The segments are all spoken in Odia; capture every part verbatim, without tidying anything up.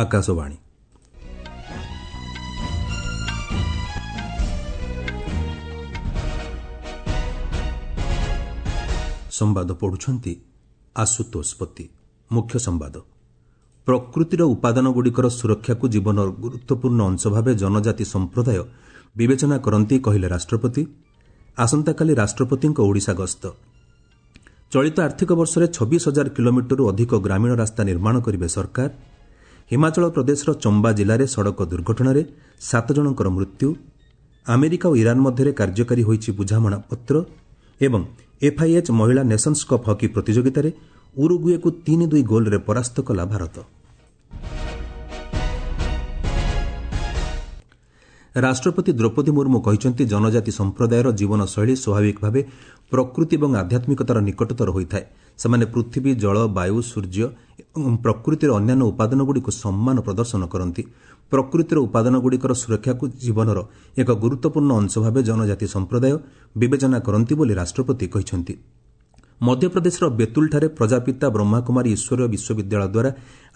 ଆକାଶବାଣୀ। ସମ୍ବାଦ ପଢୁଛନ୍ତି ଆଶୁତୋଷ ପତି। ମୁଖ୍ୟ ସମ୍ବାଦ। ପ୍ରକୃତିର ଉପାଦାନଗୁଡ଼ିକର ସୁରକ୍ଷାକୁ ଜୀବନର ଗୁରୁତ୍ୱପୂର୍ଣ୍ଣ ଅଂଶ ଭାବେ ଜନଜାତି ସମ୍ପ୍ରଦାୟ ବିବେଚନା କରନ୍ତି, କହିଲେ ରାଷ୍ଟ୍ରପତି। ଆସନ୍ତାକାଲି ରାଷ୍ଟ୍ରପତିଙ୍କ ଓଡ଼ିଶା ଗସ୍ତ। ଚଳିତ ଆର୍ଥିକ ବର୍ଷରେ ଛବିଶ ହଜାର କିଲୋମିଟରରୁ ଅଧିକ ଗ୍ରାମୀଣ ରାସ୍ତା ନିର୍ମାଣ କରିବେ ସରକାର। ହିମାଚଳ ପ୍ରଦେଶର ଚମ୍ବା ଜିଲ୍ଲାରେ ସଡ଼କ ଦୁର୍ଘଟଣାରେ ସାତ ଜଣଙ୍କର ମୃତ୍ୟୁ। ଆମେରିକା ଓ ଇରାନ୍ ମଧ୍ୟରେ କାର୍ଯ୍ୟକାରୀ ହୋଇଛି ବୁଝାମଣାପତ୍ର। ଏବଂ ଏଫ୍ଆଇଏଚ୍ ମହିଳା ନେସନ୍ସ କପ୍ ହକି ପ୍ରତିଯୋଗିତାରେ ଉରୁଗୁଏକୁ ତିନି ଦୁଇ ଗୋଲ୍ରେ ପରାସ୍ତ କଲା ଭାରତ। ରାଷ୍ଟ୍ରପତି ଦ୍ରୌପଦୀ ମୁର୍ମୁ କହିଛନ୍ତି, ଜନଜାତି ସମ୍ପ୍ରଦାୟର ଜୀବନଶୈଳୀ ସ୍ୱାଭାବିକ ଭାବେ ପ୍ରକୃତି ଏବଂ ଆଧ୍ୟାତ୍ମିକତାର ନିକଟତର ହୋଇଥାଏ। ସେମାନେ ପୃଥିବୀ, ଜଳ, ବାୟୁ, ସୂର୍ଯ୍ୟ ଏବଂ ପ୍ରକୃତିର ଅନ୍ୟାନ୍ୟ ଉପାଦାନଗୁଡ଼ିକୁ ସମ୍ମାନ ପ୍ରଦର୍ଶନ କରନ୍ତି। ପ୍ରକୃତିର ଉପାଦାନଗୁଡ଼ିକର ସୁରକ୍ଷାକୁ ଜୀବନର ଏକ ଗୁରୁତ୍ୱପୂର୍ଣ୍ଣ ଅଂଶ ଭାବେ ଜନଜାତି ସମ୍ପ୍ରଦାୟ ବିବେଚନା କରନ୍ତି ବୋଲି ରାଷ୍ଟ୍ରପତି କହିଛନ୍ତି। ମଧ୍ୟପ୍ରଦେଶର ବେତୁଲଠାରେ ପ୍ରଜାପିତା ବ୍ରହ୍ମାକୁମାରୀ ଈଶ୍ୱରୀୟ ବିଶ୍ୱବିଦ୍ୟାଳୟ ଦ୍ୱାରା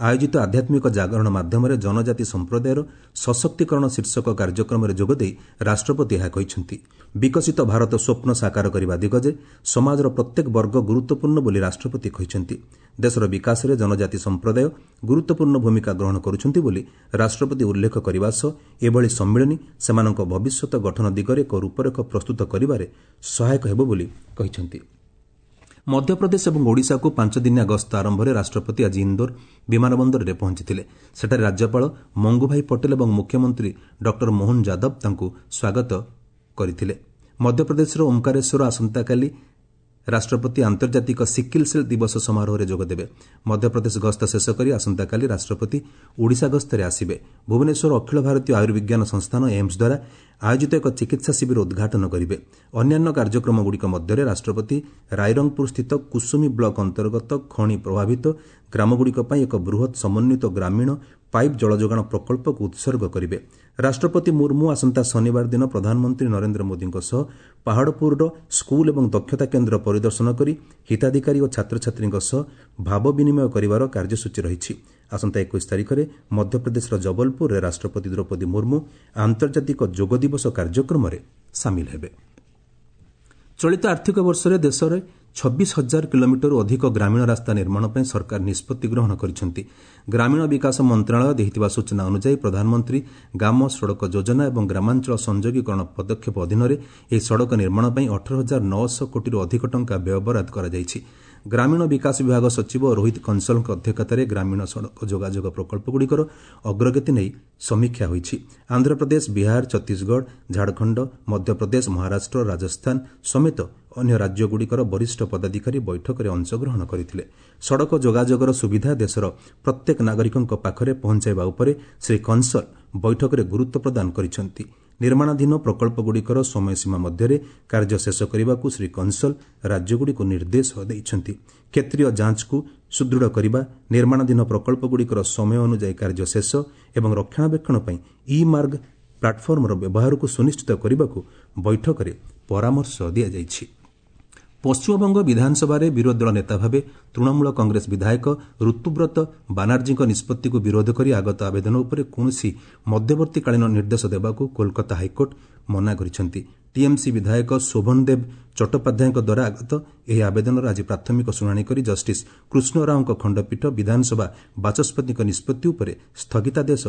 ଆୟୋଜିତ ଆଧ୍ୟାତ୍ମିକ ଜାଗରଣ ମାଧ୍ୟମରେ ଜନଜାତି ସମ୍ପ୍ରଦାୟର ସଶକ୍ତିକରଣ ଶୀର୍ଷକ କାର୍ଯ୍ୟକ୍ରମରେ ଯୋଗଦେଇ ରାଷ୍ଟ୍ରପତି ଏହା କହିଛନ୍ତି। ବିକଶିତ ଭାରତ ସ୍ୱପ୍ନ ସାକାର କରିବା ଦିଗରେ ସମାଜର ପ୍ରତ୍ୟେକ ବର୍ଗ ଗୁରୁତ୍ୱପୂର୍ଣ୍ଣ ବୋଲି ରାଷ୍ଟ୍ରପତି କହିଛନ୍ତି। ଦେଶର ବିକାଶରେ ଜନଜାତି ସମ୍ପ୍ରଦାୟ ଗୁରୁତ୍ୱପୂର୍ଣ୍ଣ ଭୂମିକା ଗ୍ରହଣ କରୁଛନ୍ତି ବୋଲି ରାଷ୍ଟ୍ରପତି ଉଲ୍ଲେଖ କରିବା ସହ ଏଭଳି ସମ୍ମିଳନୀ ସେମାନଙ୍କ ଭବିଷ୍ୟତ ଗଠନ ଦିଗରେ ଏକ ରୂପରେଖ ପ୍ରସ୍ତୁତ କରିବାରେ ସହାୟକ ହେବ ବୋଲି କହିଛନ୍ତି। ମଧ୍ୟପ୍ରଦେଶ ଏବଂ ଓଡ଼ିଶାକୁ ପାଞ୍ଚଦିନିଆ ଗସ୍ତ ଆରମ୍ଭରେ ରାଷ୍ଟ୍ରପତି ଆଜି ଇନ୍ଦୋର ବିମାନ ବନ୍ଦରରେ ପହଞ୍ଚିଥିଲେ। ସେଠାରେ ରାଜ୍ୟପାଳ ମଙ୍ଗୁଭାଇ ପଟେଲ ଏବଂ ମୁଖ୍ୟମନ୍ତ୍ରୀ ଡକ୍ଟର ମୋହନ ଯାଦବ ତାଙ୍କୁ ସ୍ୱାଗତ କରିଥିଲେ। ମଧ୍ୟପ୍ରଦେଶର ଓମ୍କାରେଶ୍ୱର ଆସନ୍ତାକାଲି ରାଷ୍ଟ୍ରପତି ଆନ୍ତର୍ଜାତିକ ସିକିଲ୍ ସେଲ୍ ଦିବସ ସମାରୋହରେ ଯୋଗଦେବେ। ମଧ୍ୟପ୍ରଦେଶ ଗସ୍ତ ଶେଷ କରି ଆସନ୍ତାକାଲି ରାଷ୍ଟ୍ରପତି ଓଡ଼ିଶା ଗସ୍ତରେ ଆସିବେ। ଭୁବନେଶ୍ୱର ଅଖିଳ ଭାରତୀୟ ଆୟୁର୍ବିଜ୍ଞାନ ସଂସ୍ଥାନ ଏମ୍ସ ଦ୍ୱାରା ଆୟୋଜିତ ଏକ ଚିକିତ୍ସା ଶିବିର ଉଦ୍ଘାଟନ କରିବେ। ଅନ୍ୟାନ୍ୟ କାର୍ଯ୍ୟକ୍ରମଗୁଡ଼ିକ ମଧ୍ୟରେ ରାଷ୍ଟ୍ରପତି ରାଇରଙ୍ଗପୁରସ୍ଥିତ କୁସୁମୀ ବ୍ଲକ ଅନ୍ତର୍ଗତ ଖଣି ପ୍ରଭାବିତ ଗ୍ରାମଗୁଡ଼ିକ ପାଇଁ ଏକ ବୃହତ୍ ସମନ୍ୱିତ ଗ୍ରାମୀଣ ପାଇପ୍ ଜଳଯୋଗାଣ ପ୍ରକଳ୍ପକୁ ଉତ୍ସର୍ଗ କରିବେ। ରାଷ୍ଟ୍ରପତି ମୁର୍ମୁ ଆସନ୍ତା ଶନିବାର ଦିନ ପ୍ରଧାନମନ୍ତ୍ରୀ ନରେନ୍ଦ୍ର ମୋଦିଙ୍କ ସହ ପାହାଡ଼ପୁରର ସ୍କୁଲ ଏବଂ ଦକ୍ଷତା କେନ୍ଦ୍ର ପରିଦର୍ଶନ କରି ହିତାଧିକାରୀ ଓ ଛାତ୍ରଛାତ୍ରୀଙ୍କ ସହ ଭାବ ବିନିମୟ କରିବାର କାର୍ଯ୍ୟସୂଚୀ ରହିଛି। ଆସନ୍ତା ଏକୋଇଶ ତାରିଖରେ ମଧ୍ୟପ୍ରଦେଶର ଜବଲପୁରରେ ରାଷ୍ଟ୍ରପତି ଦ୍ରୌପଦୀ ମୁର୍ମୁ ଆନ୍ତର୍ଜାତିକ ଯୋଗ ଦିବସ କାର୍ଯ୍ୟକ୍ରମରେ ସାମିଲ ହେବେ। ଚଳିତ ଆର୍ଥିକ ବର୍ଷରେ ଦେଶରେ ଛବିଶ ହଜାର କିଲୋମିଟରରୁ ଅଧିକ ଗ୍ରାମୀଣ ରାସ୍ତା ନିର୍ମାଣ ପାଇଁ ସରକାର ନିଷ୍ପତ୍ତି ଗ୍ରହଣ କରିଛନ୍ତି। ଗ୍ରାମୀଣ ବିକାଶ ମନ୍ତ୍ରଣାଳୟ ଦେଇଥିବା ସୂଚନା ଅନୁଯାୟୀ ପ୍ରଧାନମନ୍ତ୍ରୀ ଗ୍ରାମ ସଡ଼କ ଯୋଜନା ଏବଂ ଗ୍ରାମାଞ୍ଚଳ ସଂଯୋଗୀକରଣ ପଦକ୍ଷେପ ଅଧୀନରେ ଏହି ସଡ଼କ ନିର୍ମାଣ ପାଇଁ ଅଠର ହଜାର ନଅଶହ କୋଟିରୁ ଅଧିକ ଟଙ୍କା ବ୍ୟୟବରାଦ କରାଯାଇଛି। ଗ୍ରାମୀଣ ବିକାଶ ବିଭାଗ ସଚିବ ରୋହିତ କଂସଲଙ୍କ ଅଧ୍ୟକ୍ଷତାରେ ଗ୍ରାମୀଣ ସଡ଼କ ଯୋଗାଯୋଗ ପ୍ରକଳ୍ପଗୁଡ଼ିକର ଅଗ୍ରଗତି ନେଇ ସମୀକ୍ଷା ହୋଇଛି। ଆନ୍ଧ୍ରପ୍ରଦେଶ, ବିହାର, ଛତିଶଗଡ଼, ଝାଡ଼ଖଣ୍ଡ, ମଧ୍ୟପ୍ରଦେଶ, ମହାରାଷ୍ଟ୍ର, ରାଜସ୍ଥାନ ସମେତ ଅନ୍ୟ ରାଜ୍ୟଗୁଡ଼ିକର ବରିଷ୍ଠ ପଦାଧିକାରୀ ବୈଠକରେ ଅଂଶଗ୍ରହଣ କରିଥିଲେ। ସଡ଼କ ଯୋଗାଯୋଗର ସୁବିଧା ଦେଶର ପ୍ରତ୍ୟେକ ନାଗରିକଙ୍କ ପାଖରେ ପହଞ୍ଚାଇବା ଉପରେ ଶ୍ରୀ କଂସଲ ବୈଠକରେ ଗୁରୁତ୍ୱ ପ୍ରଦାନ କରିଛନ୍ତି। ନିର୍ମାଣାଧୀନ ପ୍ରକଳ୍ପଗୁଡ଼ିକର ସମୟସୀମା ମଧ୍ୟରେ କାର୍ଯ୍ୟ ଶେଷ କରିବାକୁ ଶ୍ରୀ କଂସଲ ରାଜ୍ୟଗୁଡ଼ିକୁ ନିର୍ଦ୍ଦେଶ ଦେଇଛନ୍ତି। କ୍ଷେତ୍ରୀୟ ଯାଞ୍ଚକୁ ସୁଦୃଢ଼ କରିବା, ନିର୍ମାଣାଧୀନ ପ୍ରକଳ୍ପଗୁଡ଼ିକର ସମୟ ଅନୁଯାୟୀ କାର୍ଯ୍ୟ ଶେଷ ଏବଂ ରକ୍ଷଣାବେକ୍ଷଣ ପାଇଁ ଇ ମାର୍ଗ ପ୍ଲାଟଫର୍ମର ବ୍ୟବହାରକୁ ସୁନିଶ୍ଚିତ କରିବାକୁ ବୈଠକରେ ପରାମର୍ଶ ଦିଆଯାଇଛି। ପଶ୍ଚିମବଙ୍ଗ ବିଧାନସଭାରେ ବିରୋଧୀ ଦଳ ନେତା ଭାବେ ତୃଣମୂଳ କଂଗ୍ରେସ ବିଧାୟକ ଋତୁବ୍ରତ ବାନାର୍ଜୀଙ୍କ ନିଷ୍ପତ୍ତିକୁ ବିରୋଧ କରି ଆଗତ ଆବେଦନ ଉପରେ କୌଣସି ମଧ୍ୟବର୍ତ୍ତୀକାଳୀନ ନିର୍ଦ୍ଦେଶ ଦେବାକୁ କୋଲକାତା ହାଇକୋର୍ଟ ମନା କରିଛନ୍ତି। ଟିଏମ୍ସି ବିଧାୟକ ଶୋଭନଦେବ ଚଟ୍ଟୋପାଧ୍ୟାୟଙ୍କ ଦ୍ୱାରା ଆଗତ ଏହି ଆବେଦନର ଆଜି ପ୍ରାଥମିକ ଶୁଣାଣି କରି ଜଷ୍ଟିସ୍ କୃଷ୍ଣ ରାଓଙ୍କ ଖଣ୍ଡପୀଠ ବିଧାନସଭା ବାଚସ୍ପତିଙ୍କ ନିଷ୍ପତ୍ତି ଉପରେ ସ୍ଥଗିତାଦେଶ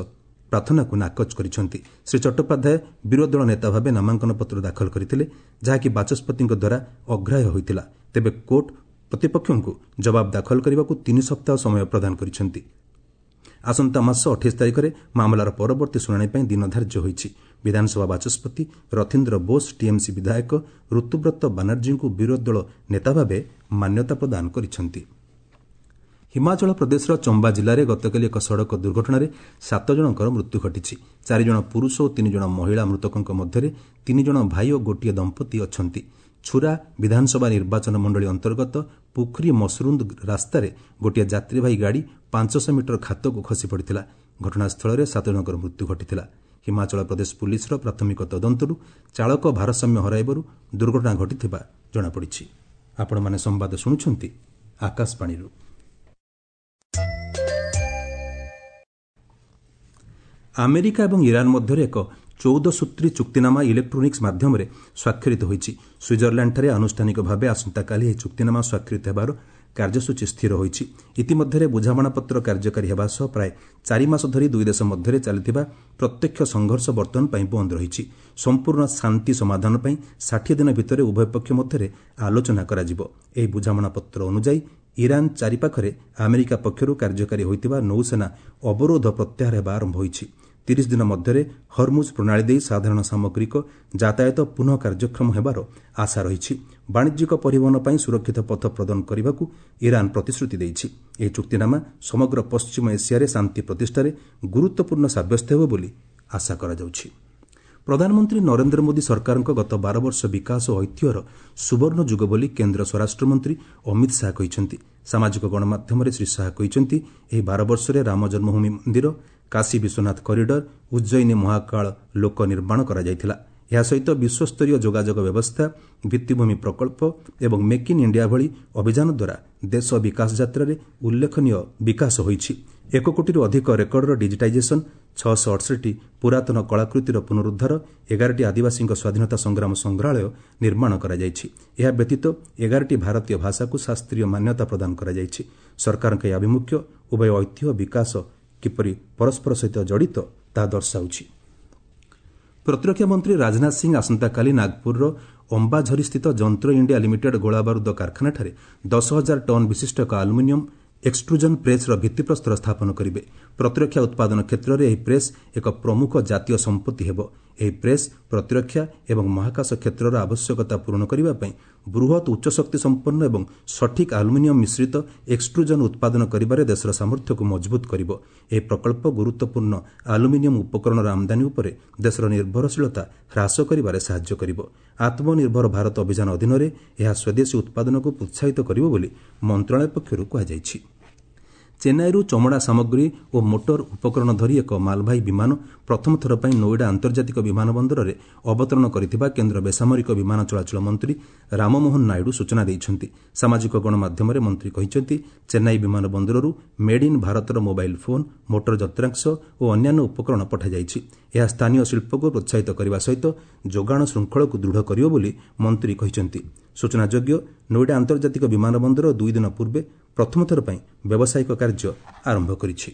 ପ୍ରାର୍ଥନାକୁ ନାକଚ କରିଛନ୍ତି। ଶ୍ରୀ ଚଟ୍ଟୋପାଧ୍ୟାୟ ବିରୋଧୀ ଦଳ ନେତା ଭାବେ ନାମାଙ୍କନ ପତ୍ର ଦାଖଲ କରିଥିଲେ, ଯାହାକି ବାଚସ୍ପତିଙ୍କ ଦ୍ୱାରା ଅଗ୍ରାହ୍ୟ ହୋଇଥିଲା। ତେବେ କୋର୍ଟ ପ୍ରତିପକ୍ଷଙ୍କୁ ଜବାବ ଦାଖଲ କରିବାକୁ ତିନି ସପ୍ତାହ ସମୟ ପ୍ରଦାନ କରିଛନ୍ତି। ଆସନ୍ତା ମାସ ଅଠେଇଶ ତାରିଖରେ ମାମଲାର ପରବର୍ତ୍ତୀ ଶୁଣାଣି ପାଇଁ ଦିନ ଧାର୍ଯ୍ୟ ହୋଇଛି। ବିଧାନସଭା ବାଚସ୍ପତି ରଥୀନ୍ଦ୍ର ବୋଷ ଟିଏମ୍ସି ବିଧାୟକ ଋତୁବ୍ରତ ବାନାର୍ଜୀଙ୍କୁ ବିରୋଧୀ ଦଳ ନେତା ଭାବେ ମାନ୍ୟତା ପ୍ରଦାନ କରିଛନ୍ତି। ହିମାଚଳ ପ୍ରଦେଶର ଚମ୍ବା ଜିଲ୍ଲାରେ ଗତକାଲି ଏକ ସଡ଼କ ଦୁର୍ଘଟଣାରେ ସାତ ଜଣଙ୍କର ମୃତ୍ୟୁ ଘଟିଛି। ଚାରିଜଣ ପୁରୁଷ ଓ ତିନି ଜଣ ମହିଳା ମୃତକଙ୍କ ମଧ୍ୟରେ ତିନି ଜଣ ଭାଇ ଓ ଗୋଟିଏ ଦମ୍ପତି ଅଛନ୍ତି। ଛୁରା ବିଧାନସଭା ନିର୍ବାଚନ ମଣ୍ଡଳୀ ଅନ୍ତର୍ଗତ ପୁଖରୀ ମସରୁନ୍ଦ ରାସ୍ତାରେ ଗୋଟିଏ ଯାତ୍ରୀବାହୀ ଗାଡ଼ି ପାଞ୍ଚଶହ ମିଟର ଖାତକୁ ଖସି ପଡ଼ିଥିଲା। ଘଟଣାସ୍ଥଳରେ ସାତ ଜଣଙ୍କର ମୃତ୍ୟୁ ଘଟିଥିଲା। ହିମାଚଳ ପ୍ରଦେଶ ପୁଲିସର ପ୍ରାଥମିକ ତଦନ୍ତରୁ ଚାଳକ ଭାରସାମ୍ୟ ହରାଇବାରୁ ଦୁର୍ଘଟଣା ଘଟିଥିବା ଜଣାପଡ଼ିଛି। ଆପଣମାନେ ସମ୍ବାଦ ଶୁଣୁଛନ୍ତି ଆକାଶବାଣୀରୁ। ଆମେରିକା ଏବଂ ଇରାନ୍ ମଧ୍ୟରେ ଏକ ଚଉଦ ସୂତ୍ରୀ ଚୁକ୍ତିନାମା ଇଲେକ୍ଟ୍ରୋନିକ୍ସ ମାଧ୍ୟମରେ ସ୍ୱାକ୍ଷରିତ ହୋଇଛି। ସୁଇଜରଲ୍ୟାଣ୍ଡଠାରେ ଆନୁଷ୍ଠାନିକ ଭାବେ ଆସନ୍ତାକାଲି ଏହି ଚୁକ୍ତିନାମା ସ୍ୱାକ୍ଷରିତ ହେବାର କାର୍ଯ୍ୟସୂଚୀ ସ୍ଥିର ହୋଇଛି। ଇତିମଧ୍ୟରେ ବୁଝାମଣାପତ୍ର କାର୍ଯ୍ୟକାରୀ ହେବା ସହ ପ୍ରାୟ ଚାରି ମାସ ଧରି ଦୁଇ ଦେଶ ମଧ୍ୟରେ ଚାଲିଥିବା ପ୍ରତ୍ୟକ୍ଷ ସଂଘର୍ଷ ବର୍ତ୍ତମାନ ପାଇଁ ବନ୍ଦ ରହିଛି। ସମ୍ପୂର୍ଣ୍ଣ ଶାନ୍ତି ସମାଧାନ ପାଇଁ ଷାଠିଏ ଦିନ ଭିତରେ ଉଭୟ ପକ୍ଷ ମଧ୍ୟରେ ଆଲୋଚନା କରାଯିବ। ଏହି ବୁଝାମଣାପତ୍ର ଅନୁଯାୟୀ ଇରାନ୍ ଚାରିପାଖରେ ଆମେରିକା ପକ୍ଷରୁ କାର୍ଯ୍ୟକାରୀ ହୋଇଥିବା ନୌସେନା ଅବରୋଧ ପ୍ରତ୍ୟାହାର ହେବା ଆରମ୍ଭ ହୋଇଛି। ତିରିଶ ଦିନ ମଧ୍ୟରେ ହରମୁଜ୍ ପ୍ରଣାଳୀ ଦେଇ ସାଧାରଣ ସାମଗ୍ରିକ ଯାତାୟାତ ପୁନଃ କାର୍ଯ୍ୟକ୍ଷମ ହେବାର ଆଶା ରହିଛି। ବାଣିଜ୍ୟିକ ପରିବହନ ପାଇଁ ସୁରକ୍ଷିତ ପଥ ପ୍ରଦାନ କରିବାକୁ ଇରାନ୍ ପ୍ରତିଶ୍ରୁତି ଦେଇଛି। ଏହି ଚୁକ୍ତିନାମା ସମଗ୍ର ପଶ୍ଚିମ ଏସିଆରେ ଶାନ୍ତି ପ୍ରତିଷ୍ଠାରେ ଗୁରୁତ୍ୱପୂର୍ଣ୍ଣ ସାବ୍ୟସ୍ତ ହେବ ବୋଲି ଆଶା କରାଯାଉଛି। ପ୍ରଧାନମନ୍ତ୍ରୀ ନରେନ୍ଦ୍ର ମୋଦି ସରକାରଙ୍କ ଗତ ବାର ବର୍ଷ ବିକାଶ ଓ ଐତିହ୍ୟର ସୁବର୍ଣ୍ଣ ଯୁଗ ବୋଲି କେନ୍ଦ୍ର ସ୍ୱରାଷ୍ଟ୍ରମନ୍ତ୍ରୀ ଅମିତ ଶାହା କହିଛନ୍ତି। ସାମାଜିକ ଗଣମାଧ୍ୟମରେ ଶ୍ରୀ ଶାହା କହିଛନ୍ତି, ଏହି ବାର ବର୍ଷରେ ରାମ ଜନ୍ମଭୂମି ମନ୍ଦିର, କାଶୀ ବିଶ୍ୱନାଥ କରିଡର, ଉଜ୍ଜୟିନୀ ମହାକାଳ ଲୋକ ନିର୍ମାଣ କରାଯାଇଥିଲା। ଏହା ସହିତ ବିଶ୍ୱସ୍ତରୀୟ ଯୋଗାଯୋଗ ବ୍ୟବସ୍ଥା, ଭିତ୍ତିଭୂମି ପ୍ରକଳ୍ପ ଏବଂ ମେକ୍ ଇନ୍ ଇଣ୍ଡିଆ ଭଳି ଅଭିଯାନ ଦ୍ୱାରା ଦେଶ ବିକାଶ ଯାତ୍ରାରେ ଉଲ୍ଲେଖନୀୟ ବିକାଶ ହୋଇଛି। ଏକ କୋଟିରୁ ଅଧିକ ରେକର୍ଡର ଡିଜିଟାଇଜେସନ୍, ଛଅଶହ ଅଠଷଠି ପୁରାତନ କଳାକୃତିର ପୁନରୁଦ୍ଧାର, ଏଗାରଟି ଆଦିବାସୀଙ୍କ ସ୍ୱାଧୀନତା ସଂଗ୍ରାମ ସଂଗ୍ରହାଳୟ ନିର୍ମାଣ କରାଯାଇଛି। ଏହା ବ୍ୟତୀତ ଏଗାରଟି ଭାରତୀୟ ଭାଷାକୁ ଶାସ୍ତ୍ରୀୟ ମାନ୍ୟତା ପ୍ରଦାନ କରାଯାଇଛି। ସରକାରଙ୍କ ଏହି ଆଭିମୁଖ୍ୟ ଉଭୟ ଐତିହ୍ୟ ବିକାଶ କିପରି ପରସ୍ପର ସହିତ ଜଡ଼ିତ ତାହା ଦର୍ଶାଉଛି। ପ୍ରତିରକ୍ଷା ମନ୍ତ୍ରୀ ରାଜନାଥ ସିଂ ଆସନ୍ତାକାଲି ନାଗପୁରର ଅମ୍ବାଝରିସ୍ଥିତ ଯନ୍ତ୍ର ଇଣ୍ଡିଆ ଲିମିଟେଡ୍ ଗୋଳାବାରୁଦ କାରଖାନାଠାରେ ଦଶ ହଜାର ଟନ୍ ବିଶିଷ୍ଟ ଏକ ଆଲୁମିନିୟମ୍ ଏକ୍ସଟ୍ରୁଜନ୍ ପ୍ରେସ୍ର ଭିତ୍ତିପ୍ରସ୍ତର ସ୍ଥାପନ କରିବେ। ପ୍ରତିରକ୍ଷା ଉତ୍ପାଦନ କ୍ଷେତ୍ରରେ ଏହି ପ୍ରେସ୍ ଏକ ପ୍ରମୁଖ ଜାତୀୟ ସମ୍ପତ୍ତି ହେବ। ଏହି ପ୍ରେସ୍ ପ୍ରତିରକ୍ଷା ଏବଂ ମହାକାଶ କ୍ଷେତ୍ରର ଆବଶ୍ୟକତା ପୂରଣ କରିବା ପାଇଁ ବୃହତ୍ ଉଚ୍ଚଶକ୍ତି ସମ୍ପନ୍ନ ଏବଂ ସଠିକ୍ ଆଲୁମିନିୟମ୍ ମିଶ୍ରିତ ଏକ୍ସଟ୍ରୁଜନ୍ ଉତ୍ପାଦନ କରିବାରେ ଦେଶର ସାମର୍ଥ୍ୟକୁ ମଜବୁତ କରିବ। ଏହି ପ୍ରକଳ୍ପ ଗୁରୁତ୍ୱପୂର୍ଣ୍ଣ ଆଲୁମିନିୟମ୍ ଉପକରଣର ଆମଦାନୀ ଉପରେ ଦେଶର ନିର୍ଭରଶୀଳତା ହ୍ରାସ କରିବାରେ ସାହାଯ୍ୟ କରିବ। ଆତ୍ମନିର୍ଭର ଭାରତ ଅଭିଯାନ ଅଧୀନରେ ଏହା ସ୍ୱଦେଶୀ ଉତ୍ପାଦନକୁ ପ୍ରୋତ୍ସାହିତ କରିବ ବୋଲି ମନ୍ତ୍ରଣାଳୟ ପକ୍ଷରୁ କୁହାଯାଇଛି। ଚେନ୍ନାଇରୁ ଚମଡ଼ା ସାମଗ୍ରୀ ଓ ମୋଟର ଉପକରଣ ଧରି ଏକ ମାଲବାହୀ ବିମାନ ପ୍ରଥମ ଥର ପାଇଁ ନୋଇଡା ଆନ୍ତର୍ଜାତିକ ବିମାନ ବନ୍ଦରରେ ଅବତରଣ କରିଥିବା କେନ୍ଦ୍ର ବେସାମରିକ ବିମାନ ଚଳାଚଳ ମନ୍ତ୍ରୀ ରାମମୋହନ ନାଇଡୁ ସୂଚନା ଦେଇଛନ୍ତି। ସାମାଜିକ ଗଣମାଧ୍ୟମରେ ମନ୍ତ୍ରୀ କହିଛନ୍ତି, ଚେନ୍ନାଇ ବିମାନ ବନ୍ଦରରୁ ମେଡ୍ ଇନ୍ ଭାରତର ମୋବାଇଲ୍ ଫୋନ୍, ମୋଟର ଯନ୍ତ୍ରାଂଶ ଓ ଅନ୍ୟାନ୍ୟ ଉପକରଣ ପଠାଯାଇଛି। ଏହା ସ୍ଥାନୀୟ ଶିଳ୍ପକୁ ପ୍ରୋତ୍ସାହିତ କରିବା ସହିତ ଯୋଗାଣ ଶୃଙ୍ଖଳକୁ ଦୃଢ଼ କରିବ ବୋଲି ମନ୍ତ୍ରୀ କହିଛନ୍ତି। ସୂଚନାଯୋଗ୍ୟ, ନୋଇଡା ଆନ୍ତର୍ଜାତିକ ବିମାନ ବନ୍ଦର ଦୁଇ ଦିନ ପୂର୍ବେ ପ୍ରଥମ ଥର ପାଇଁ ବ୍ୟବସାୟିକ କାର୍ଯ୍ୟ ଆରମ୍ଭ କରିଛି।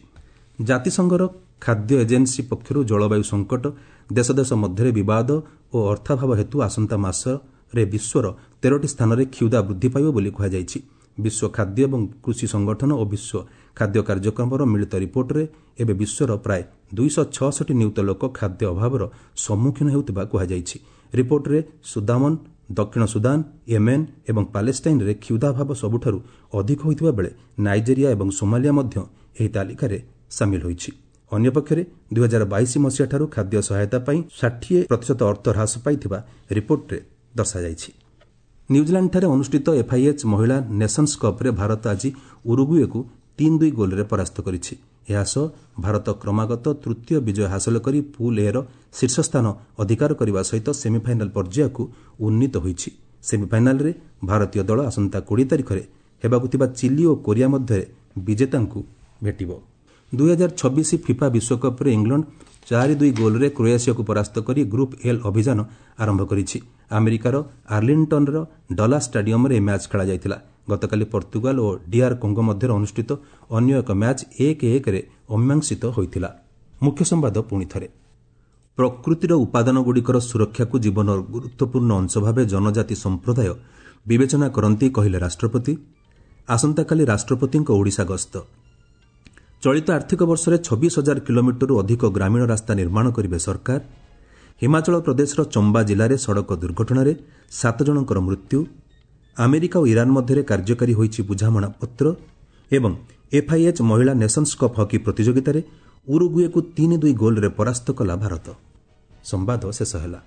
ଜାତିସଂଘର ଖାଦ୍ୟ ଏଜେନ୍ସି ପକ୍ଷରୁ ଜଳବାୟୁ ସଙ୍କଟ, ଦେଶ ଦେଶ ମଧ୍ୟରେ ବିବାଦ ଓ ଅର୍ଥାଭାବ ହେତୁ ଆସନ୍ତା ମାସରେ ବିଶ୍ୱର ତେରଟି ସ୍ଥାନରେ କ୍ଷୁଧା ବୃଦ୍ଧି ପାଇବ ବୋଲି କୁହାଯାଇଛି। ବିଶ୍ୱ ଖାଦ୍ୟ ଏବଂ କୃଷି ସଂଗଠନ ଓ ବିଶ୍ୱ ଖାଦ୍ୟ କାର୍ଯ୍ୟକ୍ରମର ମିଳିତ ରିପୋର୍ଟରେ ଏବେ ବିଶ୍ୱର ପ୍ରାୟ ଦୁଇଶହ ଛଅଷଠି ନିୟୁତ ଲୋକ ଖାଦ୍ୟ ଅଭାବର ସମ୍ମୁଖୀନ ହେଉଥିବା କୁହାଯାଇଛି। ରିପୋର୍ଟରେ ସୁଦାମନ, ଦକ୍ଷିଣ ସୁଦାନ, ୟେମେନ୍ ଏବଂ ପାଲେଷ୍ଟାଇନ୍ରେ କ୍ଷୁଧାଭାବ ସବୁଠାରୁ ଅଧିକ ହୋଇଥିବା ବେଳେ ନାଇଜେରିଆ ଏବଂ ସୋମାଲିଆ ମଧ୍ୟ ଏହି ତାଲିକାରେ ସାମିଲ ହୋଇଛି। ଅନ୍ୟପକ୍ଷରେ ଦୁଇହଜାର ବାଇଶ ମସିହାଠାରୁ ଖାଦ୍ୟ ସହାୟତା ପାଇଁ ଷାଠିଏ ପ୍ରତିଶତ ଅର୍ଥ ହ୍ରାସ ପାଇଥିବା ରିପୋର୍ଟରେ ଦର୍ଶାଯାଇଛି। ନ୍ୟୁଜିଲାଣ୍ଡଠାରେ ଅନୁଷ୍ଠିତ ଏଫ୍ଆଇଏଚ୍ ମହିଳା ନେସନ୍ସ କପ୍ରେ ଭାରତ ଆଜି ଉରୁଗୁଏକୁ ତିନି ଦୁଇ ଗୋଲ୍ରେ ପରାସ୍ତ କରିଛି। ଏହା ସହ ଭାରତ କ୍ରମାଗତ ତୃତୀୟ ବିଜୟ ହାସଲ କରି ପୁଲ୍ ଏର ଶୀର୍ଷସ୍ଥାନ ଅଧିକାର କରିବା ସହିତ ସେମିଫାଇନାଲ୍ ପର୍ଯ୍ୟାୟକୁ ଉନ୍ନୀତ ହୋଇଛି। ସେମିଫାଇନାଲ୍ରେ ଭାରତୀୟ ଦଳ ଆସନ୍ତା କୋଡ଼ିଏ ତାରିଖରେ ହେବାକୁ ଥିବା ଚିଲି ଓ କୋରିଆ ମଧ୍ୟରେ ବିଜେତାଙ୍କୁ ଭେଟିବ। ଦୁଇହଜାର ଛବିଶ ଫିଫା ବିଶ୍ୱକପ୍ରେ ଇଂଲଣ୍ଡ ଚାରି ଦୁଇ ଗୋଲ୍ରେ କ୍ରୋଏସିଆକୁ ପରାସ୍ତ କରି ଗ୍ରୁପ୍ ଏଲ୍ ଅଭିଯାନ ଆରମ୍ଭ କରିଛି। ଆମେରିକାର ଆର୍ଲିଣ୍ଟନର ଡଲା ଷ୍ଟାଡିୟମରେ ଏହି ମ୍ୟାଚ୍ ଖେଳାଯାଇଥିଲା। ଗତକାଲି ପର୍ତ୍ତୁଗାଲ ଓ ଡିଆର୍ କଙ୍ଗୋ ମଧ୍ୟରେ ଅନୁଷ୍ଠିତ ଅନ୍ୟ ଏକ ମ୍ୟାଚ୍ ଏକ ଏକରେ ଅମୀମାଂସିତ ହୋଇଥିଲା। ମୁଖ୍ୟ ସମ୍ବାଦ ପୁଣି ଥରେ, ପ୍ରକୃତିର ଉପାଦାନଗୁଡ଼ିକର ସୁରକ୍ଷାକୁ ଜୀବନର ଗୁରୁତ୍ୱପୂର୍ଣ୍ଣ ଅଂଶ ଭାବେ ଜନଜାତି ସମ୍ପ୍ରଦାୟ ବିବେଚନା କରନ୍ତି, କହିଲେ ରାଷ୍ଟ୍ରପତି। ଆସନ୍ତାକାଲି ରାଷ୍ଟ୍ରପତିଙ୍କ ଓଡ଼ିଶା ଗସ୍ତ। ଚଳିତ ଆର୍ଥିକ ବର୍ଷରେ ଛବିଶ ହଜାର କିଲୋମିଟରରୁ ଅଧିକ ଗ୍ରାମୀଣ ରାସ୍ତା ନିର୍ମାଣ କରିବେ ସରକାର। ହିମାଚଳ ପ୍ରଦେଶର ଚମ୍ବା ଜିଲ୍ଲାରେ ସଡ଼କ ଦୁର୍ଘଟଣାରେ ସାତ ଜଣଙ୍କର ମୃତ୍ୟୁ। ଆମେରିକା ଓ ଇରାନ୍ ମଧ୍ୟରେ କାର୍ଯ୍ୟକାରୀ ହୋଇଛି ବୁଝାମଣାପତ୍ର। ଏବଂ ଏଫ୍ଆଇଏଚ୍ ମହିଳା ନେସନ୍ସ କପ୍ ହକି ପ୍ରତିଯୋଗିତାରେ ଉରୁଗୁଏକୁ ତିନି ଦୁଇ ଗୋଲ୍ରେ ପରାସ୍ତ କଲା ଭାରତ। ସମ୍ବାଦ ଶେଷ ହେଲା।